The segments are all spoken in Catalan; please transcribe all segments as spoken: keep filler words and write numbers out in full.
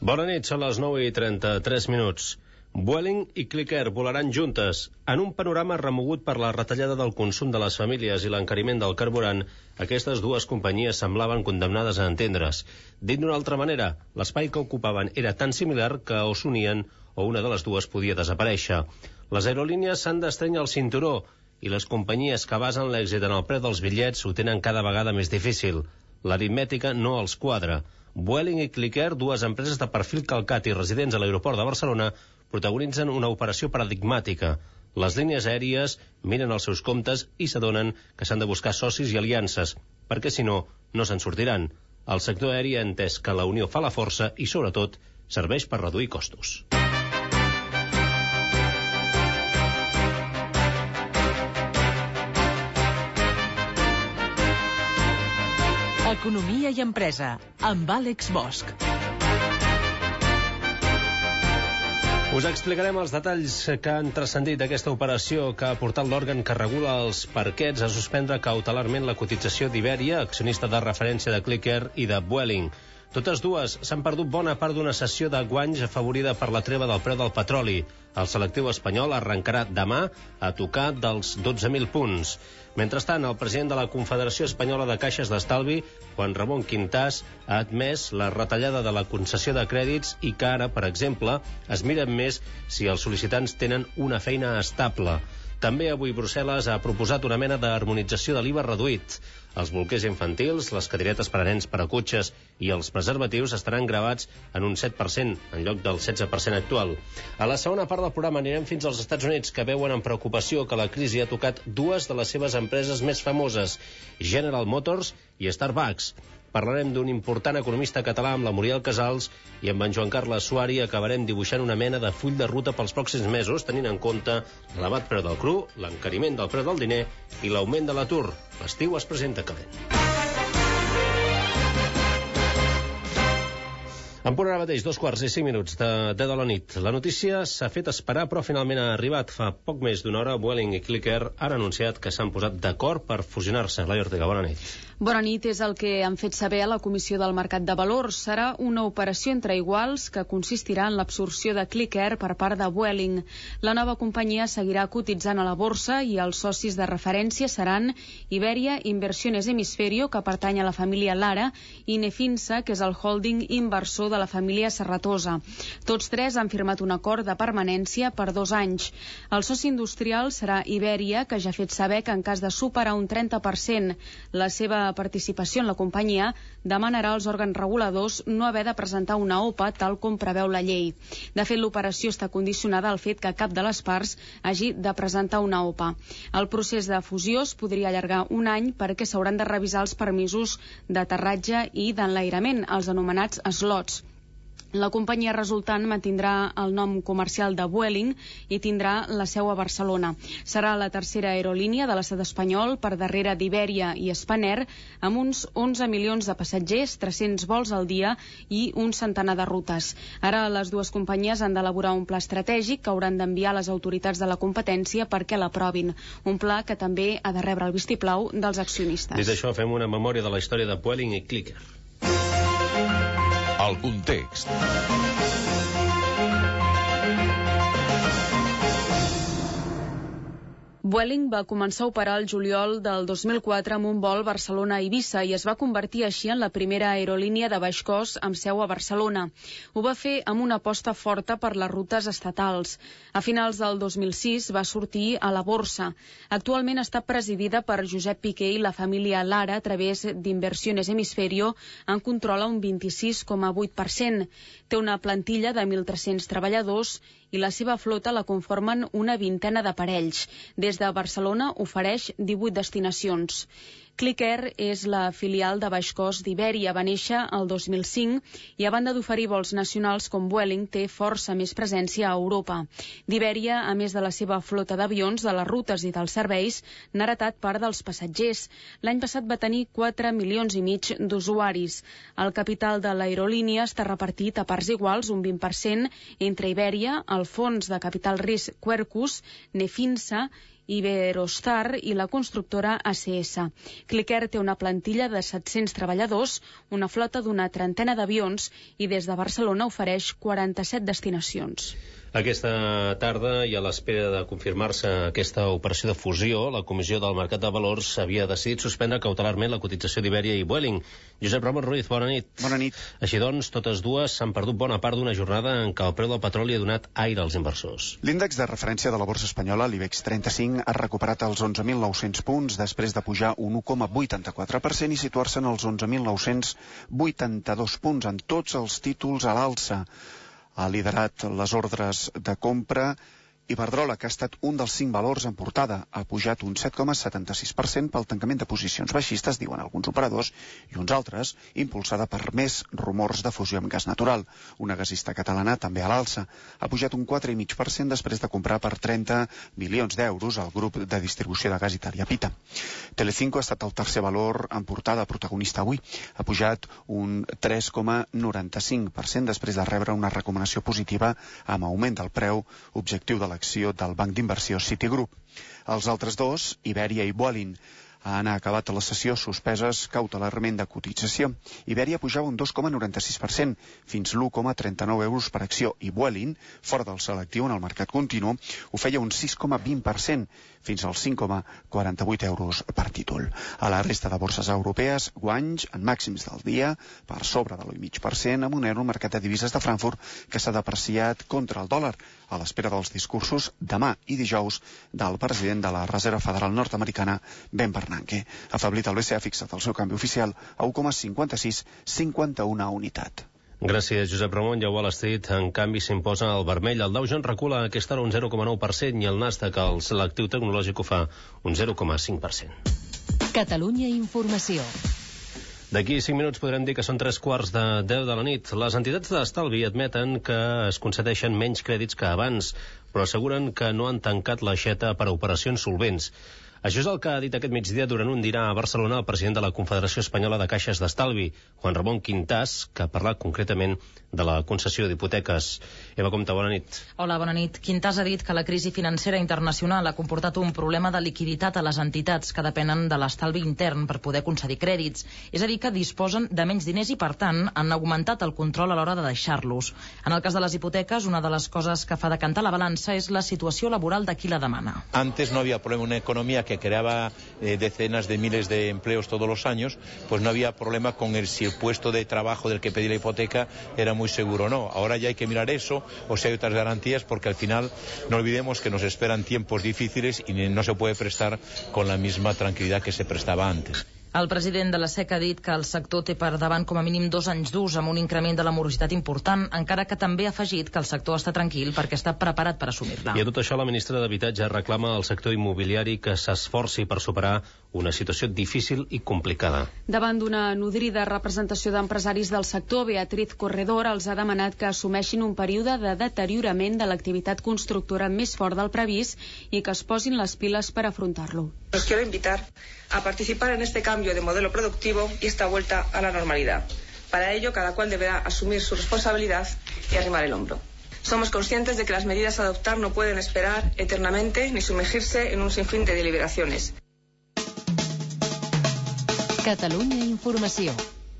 Bona nit, són les nou i trenta-tres minuts. Vueling i Clicker volaran juntes. En un panorama remogut per la retallada del consum de les famílies i l'encariment del carburant, aquestes dues companyies semblaven condemnades a entendre's. Dit d'una altra manera, l'espai que ocupaven era tan similar que o s'unien o una de les dues podia desaparèixer. Les aerolínies s'han d'estrènyer el cinturó i les companyies que basen l'èxit en el preu dels bitllets ho tenen cada vegada més difícil. L'aritmètica no els quadra. Vueling i Clicker, dues empreses de perfil calcat i residents a l'aeroport de Barcelona, protagonitzen una operació paradigmàtica. Les línies aèries miren els seus comptes i s'adonen que s'han de buscar socis i aliances, perquè si no, no se'n sortiran. El sector aeri ha entès que la unió fa la força i, sobretot, serveix per reduir costos. Economia i empresa, amb Àlex Bosch. Us explicarem els detalls que han transcendit d'aquesta operació que ha portat l'òrgan que regula els parquets a suspendre cautelarment la cotització d'Iberia, accionista de referència de Clicker i de Vueling. Totes dues s'han perdut bona part d'una sessió de guanys afavorida per la treva del preu del petroli. El selectiu espanyol arrencarà demà a tocar dels dotze mil punts. Mentrestant, el president de la Confederació Espanyola de Caixes d'Estalvi, Juan Ramón Quintás, ha admès la retallada de la concessió de crèdits i que ara, per exemple, es miren més si els sol·licitants tenen una feina estable. També avui Brussel·les ha proposat una mena d'harmonització de l'I V A reduït. Els bolquers infantils, les cadiretes per a nens per a cotxes i els preservatius estaran gravats en un set per cent, en lloc del setze per cent actual. A la segona part del programa anirem fins als Estats Units, que veuen amb preocupació que la crisi ha tocat dues de les seves empreses més famoses, General Motors i Starbucks. Parlarem d'un important economista català amb la Muriel Casals i amb en Joan Carles Suari acabarem dibuixant una mena de full de ruta pels pròxims mesos, tenint en compte l'elevat preu del cru, l'encariment del preu del diner i l'augment de l'atur. L'estiu es presenta calent. En punt ara mateix, dos quarts i cinc minuts de deu de la nit. La notícia s'ha fet esperar, però finalment ha arribat. Fa poc més d'una hora, Vueling i Clicker han anunciat que s'han posat d'acord per fusionar-se. Laia Ortega, bona nit. Bona nit, és el que han fet saber a la Comissió del Mercat de Valors. Serà una operació entre iguals que consistirà en l'absorció de Clicker per part de Vueling. La nova companyia seguirà cotitzant a la borsa i els socis de referència seran Iberia Inversiones Hemisferio, que pertany a la família Lara, i Nefinsa, que és el holding inversor de la família Serratosa. Tots tres han firmat un acord de permanència per dos anys. El soci industrial serà Iberia, que ja ha fet saber que en cas de superar un trenta per cent la seva participació en la companyia, demanarà als òrgans reguladors no haver de presentar una O P A tal com preveu la llei. De fet, l'operació està condicionada al fet que cap de les parts hagi de presentar una O P A. El procés de fusió es podria allargar un any perquè s'hauran de revisar els permisos d'aterratge i d'enlairament, els anomenats slots. La companyia resultant mantindrà el nom comercial de Vueling i tindrà la seu a Barcelona. Serà la tercera aerolínia de l'estat espanyol per darrere d'Iberia i Spanair, amb uns onze milions de passatgers, tres-cents vols al dia i un centenar de rutes. Ara les dues companyies han d'elaborar un pla estratègic que hauran d'enviar a les autoritats de la competència perquè l'aprovin. Un pla que també ha de rebre el vistiplau dels accionistes. Dit això, fem una memòria de la història de Vueling i Clicker. El context. Vueling va començar a operar el juliol del dos mil quatre amb un vol Barcelona-Eivissa i es va convertir així en la primera aerolínia de baix cost amb seu a Barcelona. Ho va fer amb una aposta forta per les rutes estatals. A finals del dos mil sis va sortir a la borsa. Actualment està presidida per Josep Piqué i la família Lara a través d'Inversiones Hemisferio, en controla un vint-i-sis coma vuit per cent. Té una plantilla de mil tres-cents treballadors i la seva flota la conformen una vintena d'aparells. Des de Barcelona ofereix divuit destinacions. Clicker és la filial de baix cost d'Iberia. Va néixer el dos mil cinc i a banda d'oferir vols nacionals com Vueling té força més presència a Europa. D'Iberia, a més de la seva flota d'avions, de les rutes i dels serveis, n'ha heretat part dels passatgers. L'any passat va tenir quatre milions i mig d'usuaris. El capital de l'aerolínia està repartit a parts iguals, un vint per cent, entre Iberia, el fons de capital risc Quercus, Nefinsa Iberostar i la constructora A C S. Clicker té una plantilla de set-cents treballadors, una flota d'una trentena d'avions i des de Barcelona ofereix quaranta-set destinacions. Aquesta tarda, i a l'espera de confirmar-se aquesta operació de fusió, la Comissió del Mercat de Valors havia decidit suspendre cautelarment la cotització d'Iberia i Vueling. Josep Ramon Ruiz, bona nit. Bona nit. Així doncs, totes dues s'han perdut bona part d'una jornada en què el preu del petroli ha donat aire als inversors. L'índex de referència de la borsa espanyola, l'IBEX trenta-cinc, ha recuperat els onze mil nou-cents punts després de pujar un u coma vuitanta-quatre per cent i situar-se en els onze mil nou-cents vuitanta-dos punts en tots els títols a l'alça. Ha liderat les ordres de compra Iberdrola, que ha estat un dels cinc valors en portada. Ha pujat un set coma setanta-sis per cent pel tancament de posicions baixistes, diuen alguns operadors, i uns altres, impulsada per més rumors de fusió amb gas natural. Una gasista catalana també a l'alça. Ha pujat un quatre coma cinc per cent després de comprar per trenta milions d'euros al grup de distribució de gas italià Pita. Telecinco ha estat el tercer valor en portada, protagonista avui. Ha pujat un tres coma noranta-cinc per cent després de rebre una recomanació positiva amb augment del preu objectiu de la acció del banc d'inversió Citigroup. Els altres dos, Iberia i Vueling, han acabat la sessió suspeses cautelarment de cotització. Iberia pujava un dos coma noranta-sis per cent, fins l'u coma trenta-nou euros per acció, i Vueling, fora del selectiu en el mercat continu, ho feia un sis coma vint per cent, fins als cinc coma quaranta-vuit euros per títol. A la resta de borses europees, guanys en màxims del dia, per sobre de l'u coma cinc per cent, amb un euro al mercat de divises de Frankfurt que s'ha depreciat contra el dòlar, a l'espera dels discursos demà i dijous del president de la Reserva Federal nord-americana, Ben Bernanke. Afeblit, el B C E ha fixat el seu canvi oficial a u coma cinquanta-sis cinquanta-una unitat. Gràcies, Josep Ramon. I a Wall Street, en canvi, s'imposa el vermell. El Dow Jones recula a aquesta hora un zero coma nou per cent i el Nasdaq, el selectiu tecnològic, ho fa un zero coma cinc per cent. Catalunya Informació. D'aquí cinc minuts podrem dir que són tres quarts de deu de la nit. Les entitats d'estalvi admeten que es concedeixen menys crèdits que abans, però asseguren que no han tancat l'aixeta per a operacions solvents. Això és el que ha dit aquest migdia durant un dinar a Barcelona el president de la Confederació Espanyola de Caixes d'Estalvi, Juan Ramón Quintás, que ha parlat concretament de la concessió d'hipoteques. Eva Comte, bona nit. Hola, bona nit. Quintás ha dit que la crisi financera internacional ha comportat un problema de liquiditat a les entitats que depenen de l'estalvi intern per poder concedir crèdits. És a dir, que disposen de menys diners i, per tant, han augmentat el control a l'hora de deixar-los. En el cas de les hipoteques, una de les coses que fa decantar la balança és la situació laboral de qui la demana. Antes no había problema, una economía que creaba eh, decenas de miles de empleos todos los años, pues no había problema con el, si el puesto de trabajo del que pedía la hipoteca era muy seguro o no. Ahora ya hay que mirar eso, o si hay otras garantías, porque al final no olvidemos que nos esperan tiempos difíciles y no se puede prestar con la misma tranquilidad que se prestaba antes. El president de la SEC ha dit que el sector té per davant com a mínim dos anys d'ús amb un increment de la morositat important, encara que també ha afegit que el sector està tranquil perquè està preparat per assumir-la. I a tot això la ministra d'Habitatge reclama al sector immobiliari que s'esforci per superar una situació difícil i complicada. Davant d'una nodrida representació d'empresaris del sector, Beatriz Corredor els ha demanat que assumeixin un període de deteriorament de l'activitat constructora més fort del previst i que es posin les piles per afrontar-lo. Los quiero invitar a participar en este cambio de modelo productivo y esta vuelta a la normalidad. Para ello, cada cual deberá asumir su responsabilidad y arrimar el hombro. Somos conscientes de que las medidas a adoptar no pueden esperar eternamente ni sumergirse en un sinfín de deliberaciones. Catalunya Informació.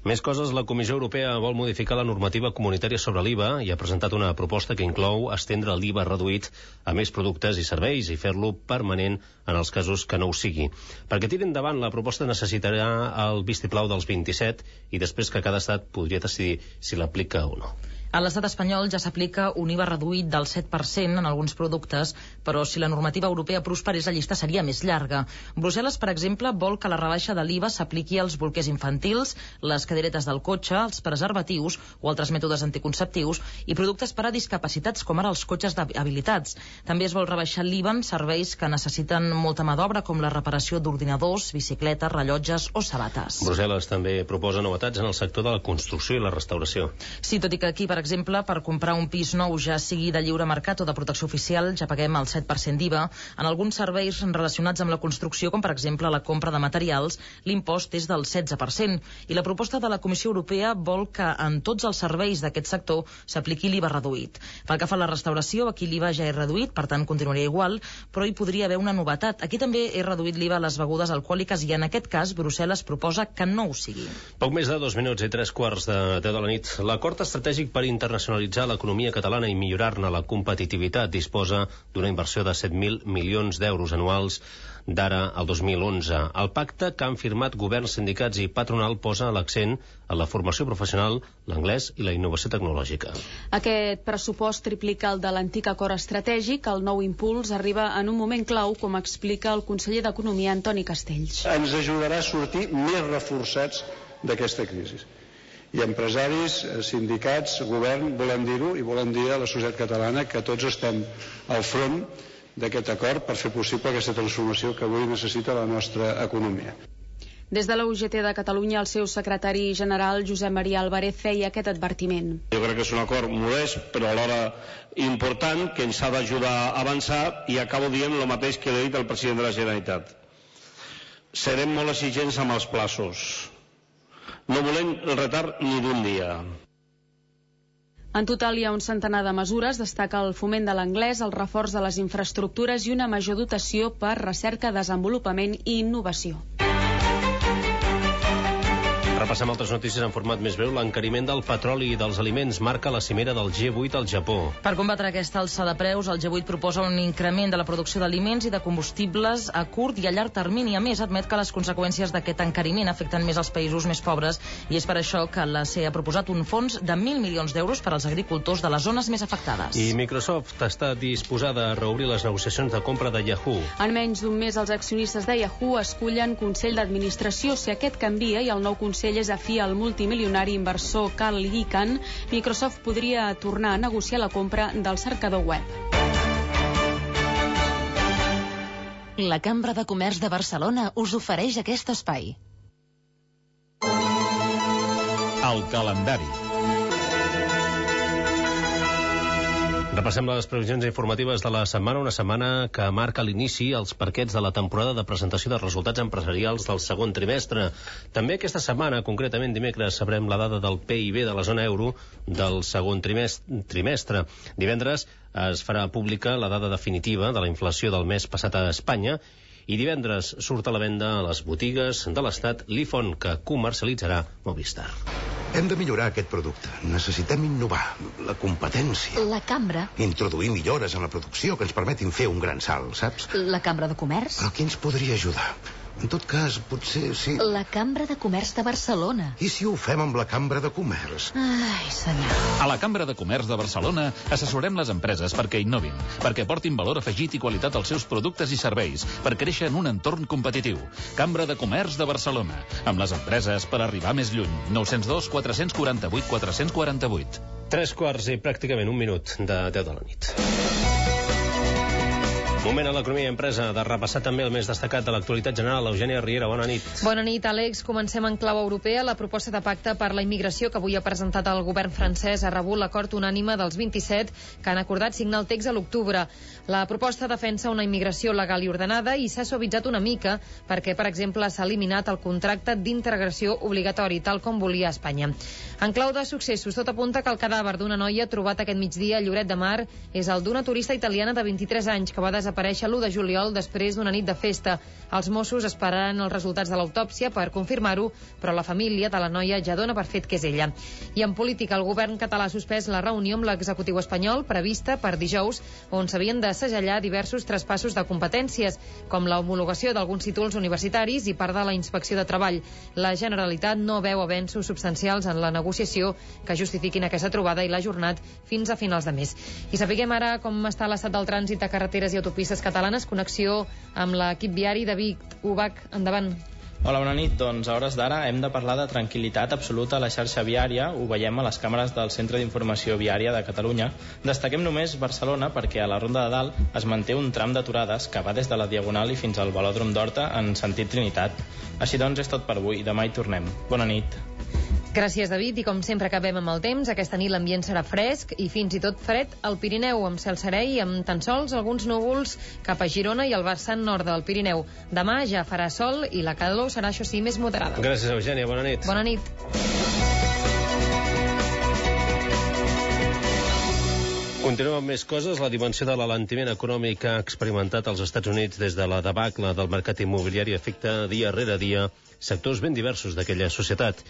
Més coses, la Comissió Europea vol modificar la normativa comunitària sobre l'I V A i ha presentat una proposta que inclou estendre l'I V A reduït a més productes i serveis i fer-lo permanent en els casos que no ho sigui. Perquè tiri endavant, la proposta necessitarà el vistiplau dels vint-i-set i després que cada estat podria decidir si l'aplica o no. A l'estat espanyol ja s'aplica un I V A reduït del set per cent en alguns productes, però si la normativa europea prosperés la llista seria més llarga. Brussel·les, per exemple, vol que la rebaixa de l'I V A s'apliqui als bolquers infantils, les cadires del cotxe, els preservatius o altres mètodes anticonceptius i productes per a discapacitats com ara els cotxes habilitats. També es vol rebaixar l'I V A en serveis que necessiten molta mà d'obra com la reparació d'ordinadors, bicicletes, rellotges o sabates. Brussel·les també proposa novetats en el sector de la construcció i la restauració. Sí, tot i que aquí, per exemple, exemple, per comprar un pis nou, ja sigui de lliure mercat o de protecció oficial, ja paguem el set per cent d'I V A. En alguns serveis relacionats amb la construcció, com per exemple la compra de materials, l'impost és del setze per cent. I la proposta de la Comissió Europea vol que en tots els serveis d'aquest sector s'apliqui l'I V A reduït. Pel que fa a la restauració, aquí l'I V A ja és reduït, per tant continuaria igual, però hi podria haver una novetat. Aquí també és reduït l'I V A a les begudes alcohòliques i en aquest cas Brussel·les proposa que no ho sigui. Poc més de dos minuts i tres quarts de deu de la nit. L'acord estratègic per internacionalitzar l'economia catalana i millorar-ne la competitivitat disposa d'una inversió de set mil milions d'euros anuals d'ara al dos mil onze. El pacte que han firmat governs, sindicats i patronal posa l'accent en la formació professional, l'anglès i la innovació tecnològica. Aquest pressupost triplica el de l'antic acord estratègic. El nou impuls arriba en un moment clau, com explica el conseller d'Economia, Antoni Castells. Ens ajudarà a sortir més reforçats d'aquesta crisi. I empresaris, sindicats, govern, volem dir-ho, i volem dir a la societat catalana que tots estem al front d'aquest acord per fer possible aquesta transformació que avui necessita la nostra economia. Des de la U G T de Catalunya, el seu secretari general, Josep Maria Álvarez, feia aquest advertiment. Jo crec que és un acord modest, però alhora important, que ens ha d'ajudar a avançar, i acabo dient el mateix que he dit al president de la Generalitat. Serem molt exigents amb els plaços. No volem el retard ni d'un dia. En total hi ha un centenar de mesures, destaca el foment de l'anglès, el reforç de les infraestructures i una major dotació per recerca, desenvolupament i innovació. Repassem altres notícies en format més breu. L'encariment del petroli i dels aliments marca la cimera del G vuit al Japó. Per combatre aquesta alça de preus, el G vuit proposa un increment de la producció d'aliments i de combustibles a curt i a llarg termini. A més, admet que les conseqüències d'aquest encariment afecten més els països més pobres i és per això que l'A C E ha proposat un fons de mil milions d'euros per als agricultors de les zones més afectades. I Microsoft està disposada a reobrir les negociacions de compra de Yahoo. En menys d'un mes, els accionistes de Yahoo escullen Consell d'Administració. Si aquest canvia i el nou Consell és afí al multimilionari inversor Carl Icahn, Microsoft podria tornar a negociar la compra del cercador web. La Cambra de Comerç de Barcelona us ofereix aquest espai. El calendari. Repassem les previsions informatives de la setmana, una setmana que marca l'inici als parquets de la temporada de presentació de resultats empresarials del segon trimestre. També aquesta setmana, concretament dimecres, sabrem la dada del P I B de la zona euro del segon trimestre. Divendres es farà pública la dada definitiva de la inflació del mes passat a Espanya i divendres surt a la venda a les botigues de l'Estat l'iPhone que comercialitzarà Movistar. Hem de millorar aquest producte. Necessitem innovar. La competència. La Cambra. Introduir millores en la producció que ens permetin fer un gran salt, saps? La Cambra de Comerç. Però qui ens podria ajudar? En tot cas, potser sí... La Cambra de Comerç de Barcelona. I si ho fem amb la Cambra de Comerç? Ai, senyor. A la Cambra de Comerç de Barcelona assessorem les empreses perquè innovin, perquè portin valor afegit i qualitat als seus productes i serveis, per créixer en un entorn competitiu. Cambra de Comerç de Barcelona, amb les empreses per arribar més lluny. nou zero dos, quatre quatre vuit, quatre quatre vuit. Tres quarts i pràcticament un minut de deu de la nit. Moment a l'economia i empresa de repassar també el més destacat de l'actualitat general. Eugènia Riera, bona nit. Bona nit, Àlex. Comencem en clau europea. La proposta de pacte per la immigració que avui ha presentat el govern francès ha rebut l'acord unànime dels vint-i-set que han acordat signar el text a l'octubre. La proposta defensa una immigració legal i ordenada i s'ha suavitzat una mica perquè, per exemple, s'ha eliminat el contracte d'integració obligatori, tal com volia Espanya. En clau de successos, tot apunta que el cadàver d'una noia trobat aquest migdia a Lloret de Mar és el d'una turista italiana de vint-i-tres anys que va desaparèixer l'u de juliol després d'una nit de festa. Els Mossos esperaran els resultats de l'autòpsia per confirmar-ho, però la família de la noia ja dona per fet que és ella. I en política, el govern català ha suspès la reunió amb l'executiu espanyol prevista per dijous, on s'havien de segellar diversos traspassos de competències, com l'homologació d'alguns títols universitaris i part de la inspecció de treball. La Generalitat no veu avenços substancials en la negociació que justifiquin aquesta trobada i l'ha ajornat fins a finals de mes. I sapiguem ara com està l'estat del trànsit de carreteres i autopistes catalanes. Connexió amb l'equip viari de Vic. Ubac, endavant. Hola, bona nit. Doncs a hores d'ara hem de parlar de tranquil·litat absoluta a la xarxa viària. Ho veiem a les càmeres del Centre d'Informació Viària de Catalunya. Destaquem només Barcelona perquè a la Ronda de Dalt es manté un tram d'aturades que va des de la Diagonal i fins al Velòdrom d'Horta en sentit Trinitat. Així doncs és tot per avui. Demà hi tornem. Bona nit. Gràcies, David, i com sempre acabem amb el temps. Aquesta nit l'ambient serà fresc i fins i tot fred al Pirineu, amb cel serè i amb tan sols alguns núvols cap a Girona i al vessant nord del Pirineu. Demà ja farà sol i la calor serà, això sí, més moderada. Gràcies, Eugènia. Bona nit. Bona nit. Continuem amb més coses. La dimensió de l'alentiment econòmic que ha experimentat als Estats Units des de la debacle del mercat immobiliari afecta dia rere dia sectors ben diversos d'aquella societat.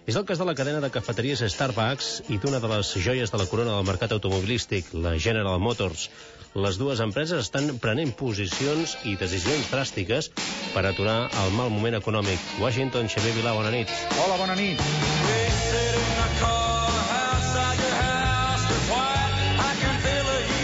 És el cas de la cadena de cafeteries Starbucks i d'una de les joies de la corona del mercat automobilístic, la General Motors. Les dues empreses estan prenent posicions i decisions dràstiques per aturar el mal moment econòmic. Washington, Xavier Vilà, bona nit. Hola, bona nit.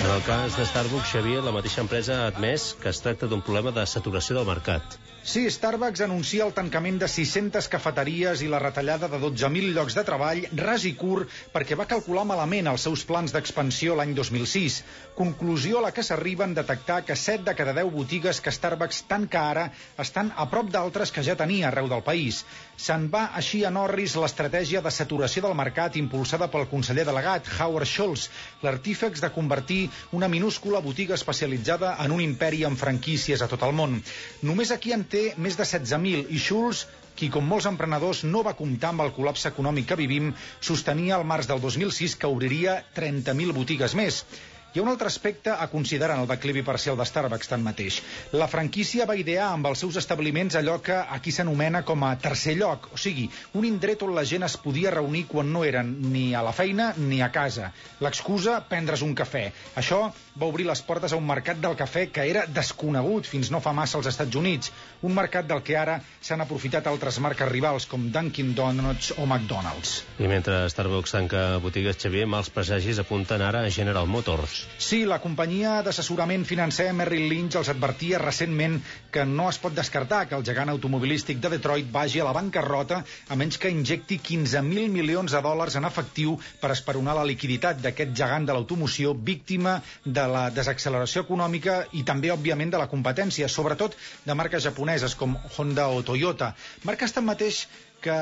En el cas de Starbucks, Xavier, la mateixa empresa ha admès que es tracta d'un problema de saturació del mercat. Sí, Starbucks anuncia el tancament de sis-centes cafeteries i la retallada de dotze mil llocs de treball, ras i curt, perquè va calcular malament els seus plans d'expansió l'any dos mil sis. Conclusió a la que s'arriba en detectar que set de cada deu botigues que Starbucks tanca ara estan a prop d'altres que ja tenia arreu del país. Se'n va així en orris l'estratègia de saturació del mercat impulsada pel conseller delegat Howard Schultz, l'artífex de convertir una minúscula botiga especialitzada en un imperi amb franquícies a tot el món. Només aquí en té més de setze mil i Schultz, qui com molts emprenedors no va comptar amb el col·lapse econòmic que vivim, sostenia al març del dos mil sis que obriria trenta mil botigues més. Hi ha un altre aspecte a considerar en el declivi parcial de Starbucks tanmateix. La franquícia va idear amb els seus establiments allò que aquí s'anomena com a tercer lloc, o sigui, un indret on la gent es podia reunir quan no eren ni a la feina ni a casa. L'excusa, prendre's un cafè. Això va obrir les portes a un mercat del cafè que era desconegut fins no fa massa als Estats Units, un mercat del que ara s'han aprofitat altres marques rivals com Dunkin' Donuts o McDonald's. I mentre Starbucks tanca botigues, Xavier, mals presagis apunten ara a General Motors. Sí, la companyia d'assessorament financer Merrill Lynch els advertia recentment que no es pot descartar que el gegant automobilístic de Detroit vagi a la bancarrota a menys que injecti quinze mil milions de dòlars en efectiu per esperonar la liquiditat d'aquest gegant de l'automoció, víctima de la desacceleració econòmica i també, òbviament, de la competència, sobretot de marques japoneses com Honda o Toyota. Marques tanmateix que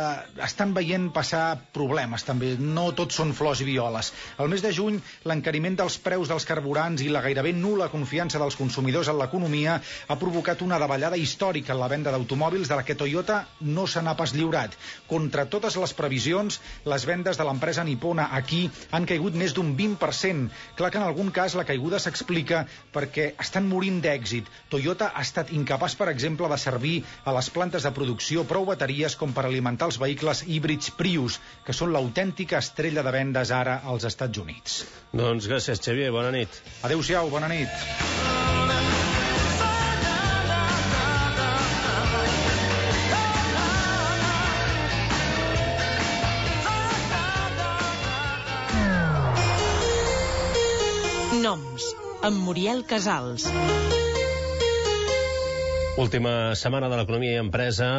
estan veient passar problemes també, no tots són flors i violes. Al mes de juny, l'encariment dels preus dels carburants i la gairebé nul·la confiança dels consumidors en l'economia ha provocat una davallada històrica en la venda d'automòbils de la que Toyota no se n'ha pas lliurat. Contra totes les previsions, les vendes de l'empresa nipona aquí han caigut més d'un vint per cent. Clar que en algun cas la caiguda s'explica perquè estan morint d'èxit. Toyota ha estat incapaç, per exemple, de servir a les plantes de producció prou bateries com per alimentar els vehicles híbrids Prius, que són l'autèntica estrella de vendes ara als Estats Units. Doncs gràcies, Xavier. Bona nit. Adéu-siau, bona nit. Noms, amb Muriel Casals. Última setmana de l'economia i empresa,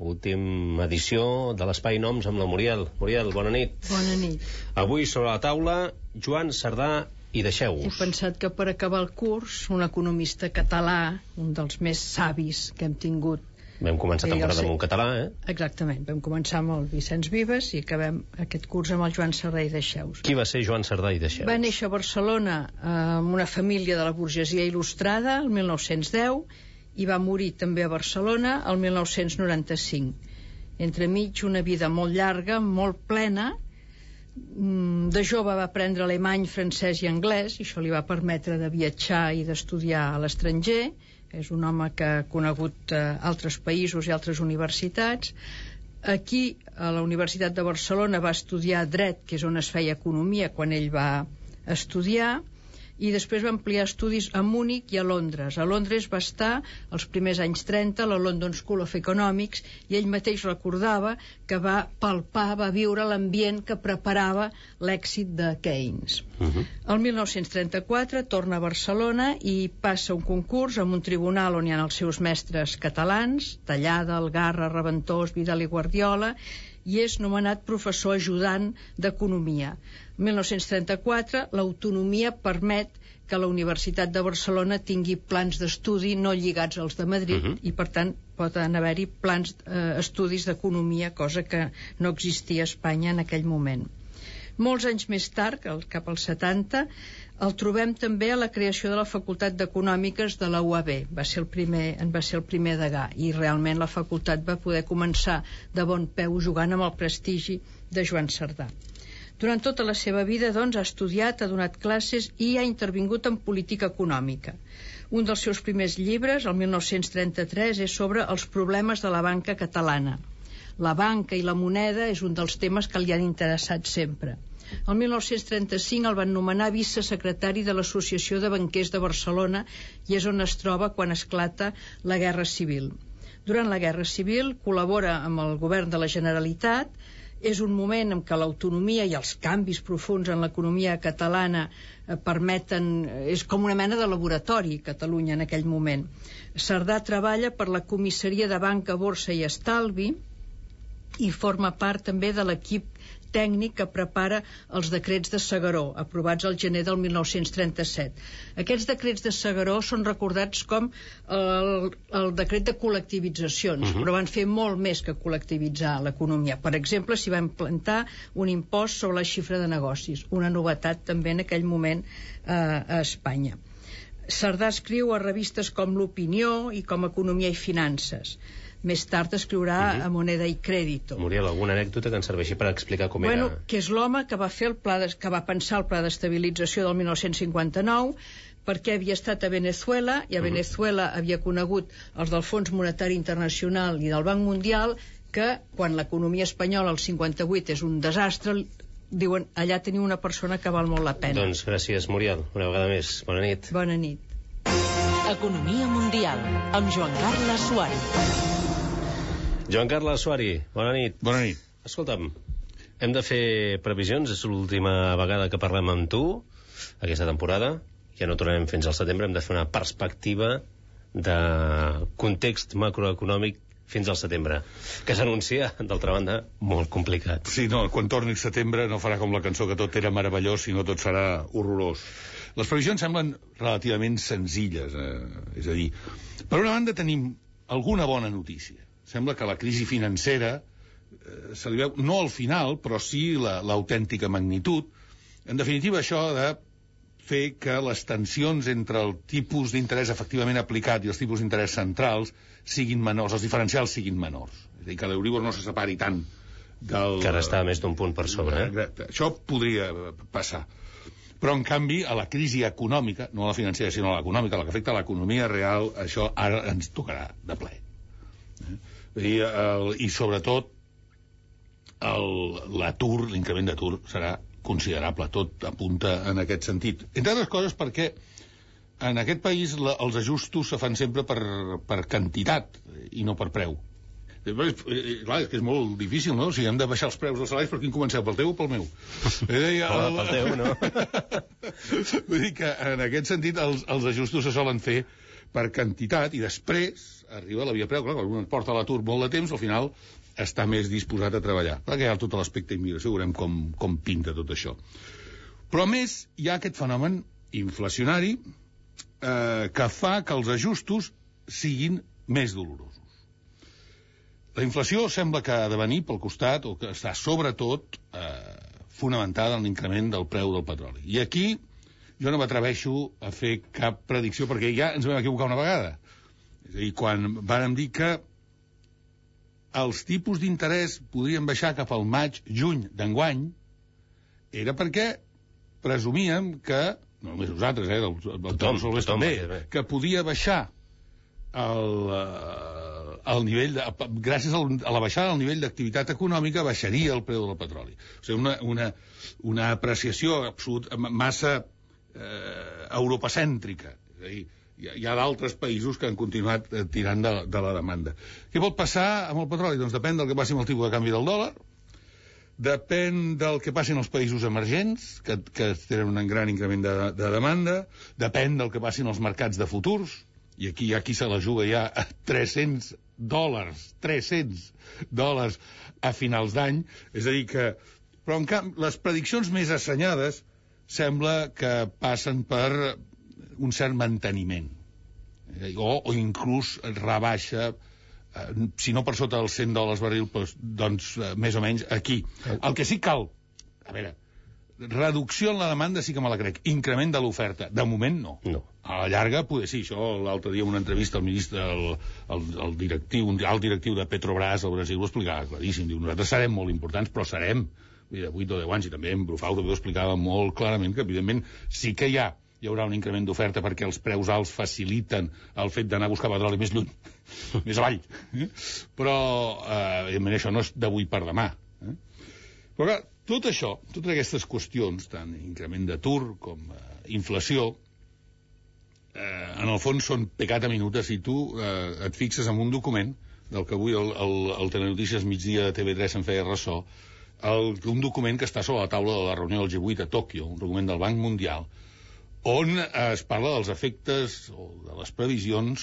última edició de l'Espai Noms amb la Muriel. Muriel, bona nit. Bona nit. Avui sobre la taula, Joan Cerdà i Deixeu-vos. He pensat que per acabar el curs, un economista català, un dels més savis que hem tingut. Vam començar temporada amb un català, eh? Exactament. Vam començar amb el Vicenç Vives i acabem aquest curs amb el Joan Cerdà i Deixeu-vos. Qui va ser Joan Cerdà i Deixeu-vos? Va néixer a Barcelona amb una família de la burgesia il·lustrada el mil nou-cents deu i va morir també a Barcelona el mil nou-cents noranta-cinc. Entremig una vida molt llarga, molt plena. De jove va aprendre alemany, francès i anglès i això li va permetre de viatjar i d'estudiar a l'estranger. És un home que ha conegut altres països i altres universitats. Aquí, a la Universitat de Barcelona, va estudiar dret, que és on es feia economia quan ell va estudiar, i després va ampliar estudis a Múnich i a Londres. A Londres va estar els primers anys trenta a la London School of Economics i ell mateix recordava que va palpar, va viure l'ambient que preparava l'èxit de Keynes. Uh-huh. El mil nou-cents trenta-quatre torna a Barcelona i passa un concurs amb un tribunal on hi ha els seus mestres catalans, Tallada, Algarra, Reventós, Vidal i Guardiola, i és nomenat professor ajudant d'Economia. En mil nou-cents trenta-quatre, l'autonomia permet que la Universitat de Barcelona tingui plans d'estudi no lligats als de Madrid, uh-huh. i per tant poden haver-hi plans eh, estudis d'economia, cosa que no existia a Espanya en aquell moment. Molts anys més tard, cap als setanta, el trobem també a la creació de la Facultat d'Econòmiques de la U A B. Va ser el primer, en va ser el primer degà, i realment la facultat va poder començar de bon peu jugant amb el prestigi de Joan Cerdà. Durant tota la seva vida, doncs, ha estudiat, ha donat classes i ha intervingut en política econòmica. Un dels seus primers llibres, el mil nou-cents trenta-tres, és sobre els problemes de la banca catalana. La banca i la moneda és un dels temes que li han interessat sempre. El mil nou-cents trenta-cinc el van nomenar vicesecretari de l'Associació de Banquers de Barcelona i és on es troba quan esclata la Guerra Civil. Durant la Guerra Civil col·labora amb el govern de la Generalitat. És un moment en què l'autonomia i els canvis profunds en l'economia catalana permeten... És com una mena de laboratori, Catalunya, en aquell moment. Cerdà treballa per la Comissaria de Banca, Borsa i Estalvi i forma part també de l'equip tècnic que prepara els decrets de S'Agaró, aprovats al gener del mil nou-cents trenta-set. Aquests decrets de S'Agaró són recordats com el, el decret de col·lectivitzacions, uh-huh. però van fer molt més que col·lectivitzar l'economia. Per exemple, s'hi va implantar un impost sobre la xifra de negocis, una novetat també en aquell moment eh, a Espanya. Cerdà escriu a revistes com l'Opinió i com Economia i Finances. Més tard escriurà uh-huh. a Moneda i Crédito. Muriel, alguna anècdota que ens serveixi per explicar com bueno, era... que és l'home que va fer el pla de, que va pensar el pla d'estabilització del mil nou-cents cinquanta-nou, perquè havia estat a Venezuela, i a uh-huh. Venezuela havia conegut els del Fons Monetari Internacional i del Banc Mundial, que quan l'economia espanyola al cinquanta-vuit és un desastre, diuen, allà teniu una persona que val molt la pena. Doncs gràcies, Muriel, una vegada més. Bona nit. Bona nit. Economia Mundial, amb Joan Carles Suari. Joan Carles Suari, bona nit. Bona nit. Escolta'm, hem de fer previsions, és l'última vegada que parlem amb tu aquesta temporada, ja no tornarem fins al setembre, hem de fer una perspectiva de context macroeconòmic fins al setembre, que s'anuncia, d'altra banda, molt complicat. Sí, no, quan torni el setembre no farà com la cançó que tot era meravellós, sinó tot serà horrorós. Les previsions semblen relativament senzilles, eh? És a dir, per una banda tenim alguna bona notícia. Sembla que la crisi financera eh, se li veu, no al final, però sí l'autèntica magnitud. En definitiva, això de fer que les tensions entre el tipus d'interès efectivament aplicat i els tipus d'interès centrals siguin menors, els diferencials siguin menors. És a dir, que l'Euríbor no se separi tant del... Que ara està més d'un punt per sobre. Eh? Això podria passar. Però, en canvi, a la crisi econòmica, no a la financera, sinó a l'econòmica, la que afecta a l'economia real, això ara ens tocarà de ple. Eh? I, el, i sobretot l'atur, l'increment d'atur serà considerable, tot apunta en aquest sentit. Entre altres coses perquè en aquest país la, els ajustos se fan sempre per, per quantitat i no per preu. Després, eh, clar, és que és molt difícil, no? Si hem de baixar els preus dels salaris, per quin comenceu? Pel teu o pel meu? Eh, el... Pel teu, no? Vull dir que en aquest sentit els, els ajustos se solen fer per quantitat i després arriba la via preu. Clar, quan un porta a l'atur molt de temps, al final està més disposat a treballar. Clar que hi ha tot l'aspecte immigració, veurem com, com pinta tot això. Però a més hi ha aquest fenomen inflacionari eh, que fa que els ajustos siguin més dolorosos. La inflació sembla que ha de venir pel costat, o que està sobretot eh, fonamentada en l'increment del preu del petroli. I aquí jo no m'atreveixo a fer cap predicció, perquè ja ens vam equivocar una vegada. És a dir, quan vàrem dir que els tipus d'interès podrien baixar cap al maig-juny d'enguany, era perquè presumíem que, no només nosaltres, eh, el, el, el tothom, tothom, també, bé. que podia baixar el, el nivell, de, gràcies al, a la baixada del nivell d'activitat econòmica, baixaria el preu del petroli. O sigui, una, una, una apreciació absolut, massa eh, europacèntrica. És a dir, hi ha, hi ha d'altres països que han continuat eh, tirant de, de la demanda. Què pot passar amb el petroli? Doncs depèn del que passi amb el tipus de canvi del dòlar, depèn del que passi en els països emergents, que, que tenen un gran increment de, de demanda, depèn del que passi en els mercats de futurs, i aquí hi ha qui se la juga ja a tres-cents dòlars, tres-cents dòlars a finals d'any, és a dir que... Però en canvi, les prediccions més assenyades sembla que passen per un cert manteniment, o, o inclús rebaixa, eh, si no per sota dels cent dòlars barril, doncs, doncs eh, més o menys aquí. El que sí cal, a veure, reducció en la demanda sí que me la crec, increment de l'oferta, de moment no. No. A la llarga, poder sí, això l'altre dia en una entrevista al ministre, el, el, el directiu, un alt directiu de Petrobras al Brasil ho explicava claríssim, diu, nosaltres serem molt importants, però serem de vuit o deu anys, i també en Brufau també ho explicava molt clarament, que evidentment sí que hi ha hi haurà un increment d'oferta perquè els preus alts faciliten el fet d'anar a buscar petroli més lluny, més avall. Però, eh, evidentment, això no és d'avui per demà. Eh? Però, clar, tot això, totes aquestes qüestions, tant increment d'atur com eh, inflació, eh, en el fons són pecat a minuta si tu eh, et fixes en un document del que avui el, el, el Telenotícies migdia de T V tres en feia ressò, el, un document que està sobre la taula de la reunió del G vuit a Tòquio, un document del Banc Mundial, on es parla dels efectes o de les previsions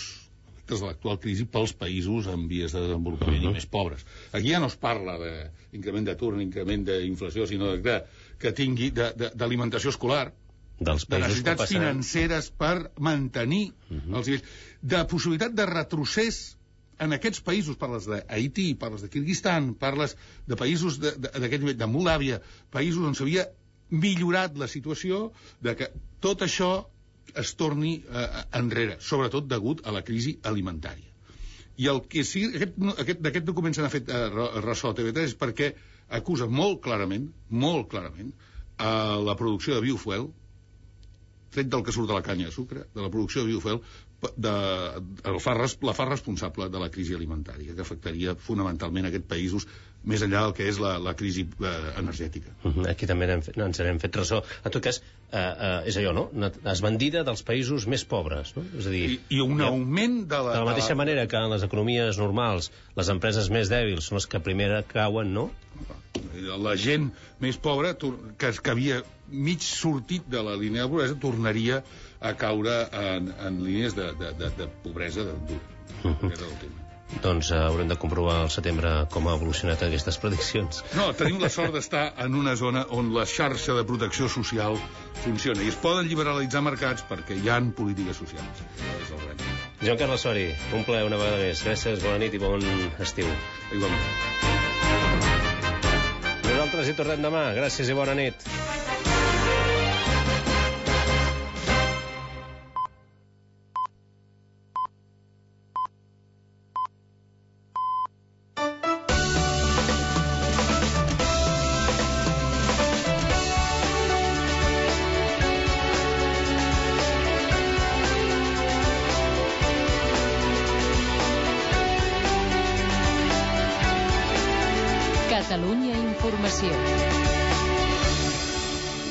efectes de l'actual crisi pels països en vies de desenvolupament uh -huh. i més pobres. Aquí ja no es parla d'increment d'atur, increment d'inflació, sinó de, de, que tingui d'alimentació escolar, dels de necessitats financeres per mantenir uh -huh. els nivells, de possibilitat de retrocés en aquests països, parles d'Haití, parles de Kirguistan, parles de països d'aquest nivell, de Moldàvia, països on s'havia millorat la situació, de que tot això es torni eh, enrere, sobretot degut a la crisi alimentària. I el que sí, aquest, aquest, d'aquest document se n'ha fet eh, ressò a T V tres perquè acusa molt clarament, molt clarament, a la producció de biofuel, tret del que surt de la canya de sucre, de la producció de biofuel, de, el fa, la fa responsable de la crisi alimentària, que afectaria fonamentalment aquests països, més enllà del que és la, la crisi eh, energètica. Uh -huh. Aquí també n'hem fet, ens n'hem fet ressò. En tot cas, eh, eh, és allò, no? Una esbandida dels països més pobres, no? És a dir, I, i un ja, augment de la... De la mateixa de la... manera que en les economies normals les empreses més dèbils són les que primer cauen, no? La gent més pobra, que, que havia mig sortit de la línia de pobresa, tornaria a caure en, en línies de, de, de, de pobresa dura. Uh -huh. Aquest és el tema. Doncs uh, haurem de comprovar al setembre com ha evolucionat aquestes prediccions. No, tenim la sort d'estar en una zona on la xarxa de protecció social funciona i es poden liberalitzar mercats perquè hi ha polítiques socials. És el gran. Joan Carles Sori, un plaer una vegada més. Gràcies, bona nit i bon estiu. Igualment. Nosaltres hi tornem demà. Gràcies i bona nit. Catalunya Informació.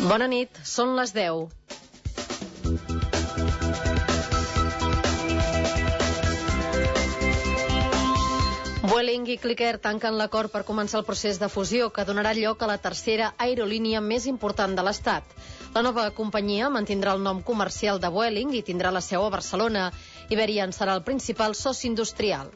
Bona nit, són les deu. Vueling i Clicker tanquen l'acord per començar el procés de fusió que donarà lloc a la tercera aerolínia més important de l'Estat. La nova companyia mantindrà el nom comercial de Vueling i tindrà la seu a Barcelona. Iberia en serà el principal soci industrial.